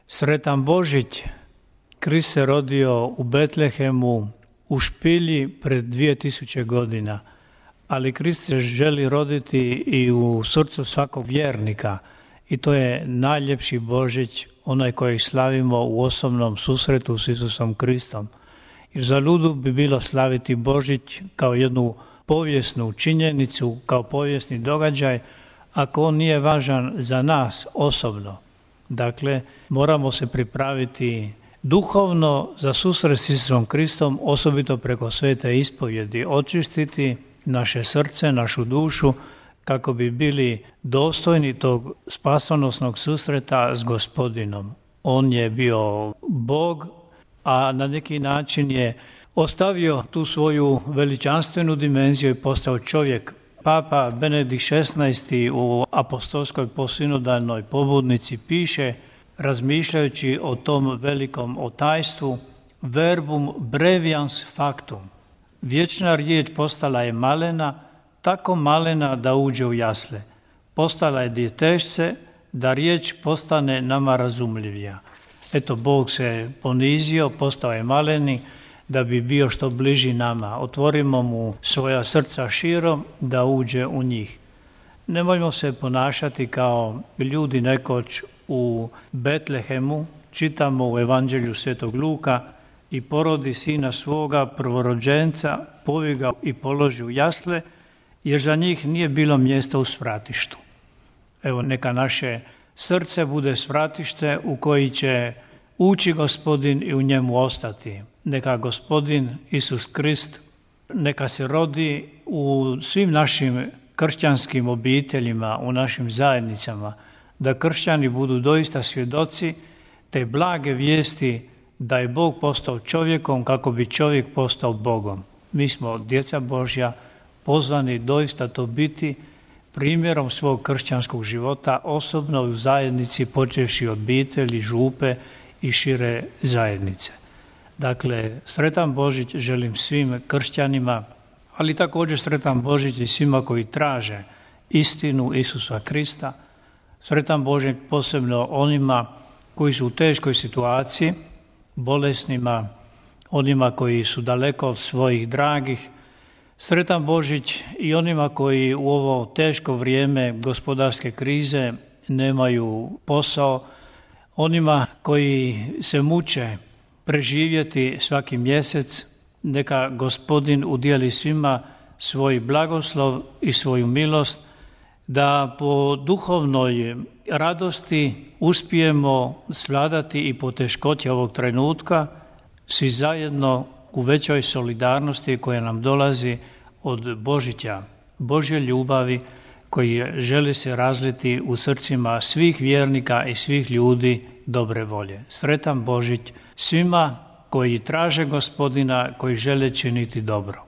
Sretan Božić, Krist se rodio u Betlehemu u špilji pred 2000 godina, ali Krist se želi roditi i u srcu svakog vjernika i to je najljepši Božić, onaj kojeg slavimo u osobnom susretu s Isusom Kristom. Jer zaludu bi bilo slaviti Božić kao jednu povijesnu činjenicu, kao povijesni događaj, ako on nije važan za nas osobno. Dakle, moramo se pripraviti duhovno za susret s Isusom Kristom, osobito preko svete ispovjedi, očistiti naše srce, našu dušu, kako bi bili dostojni tog spasonosnog susreta s Gospodinom. On je bio Bog, a na neki način je ostavio tu svoju veličanstvenu dimenziju i postao čovjek. Papa Benedikt XVI u apostolskoj posinodalnoj pobudnici piše, razmišljajući o tom velikom otajstvu, verbum brevians factum. Vječna riječ postala je malena, tako malena da uđe u jasle. Postala je djetešce, da riječ postane nama razumljivija. Eto, Bog se ponizio, postao je maleni, da bi bio što bliži nama. Otvorimo mu svoja srca širom da uđe u njih. Nemojmo se ponašati kao ljudi nekoć u Betlehemu. Čitamo u Evanđelju Svetog Luka, i porodi sina svoga prvorođenca, povi ga i položi u jasle, jer za njih nije bilo mjesta u svratištu. Evo, neka naše srce bude svratište u koji će ući Gospodin i u njemu ostati. Neka Gospodin Isus Krist, neka se rodi u svim našim kršćanskim obiteljima, u našim zajednicama, da kršćani budu doista svjedoci te blage vijesti da je Bog postao čovjekom kako bi čovjek postao Bogom. Mi smo djeca Božja, pozvani doista to biti primjerom svog kršćanskog života, osobno u zajednici, počevši od obitelji, župe i šire zajednice. Dakle, sretan Božić želim svim kršćanima, ali također sretan Božić i svima koji traže istinu Isusa Krista. Sretan Božić posebno onima koji su u teškoj situaciji, bolesnima, onima koji su daleko od svojih dragih. Sretan Božić i onima koji u ovo teško vrijeme gospodarske krize nemaju posao, onima koji se muče preživjeti svaki mjesec. Neka Gospodin udijeli svima svoj blagoslov i svoju milost, da po duhovnoj radosti uspijemo svladati i poteškoće ovog trenutka, svi zajedno u većoj solidarnosti koja nam dolazi od Božića, Božje ljubavi koji želi se razliti u srcima svih vjernika i svih ljudi dobre volje. Sretan Božić svima koji traže Gospodina, koji žele činiti dobro.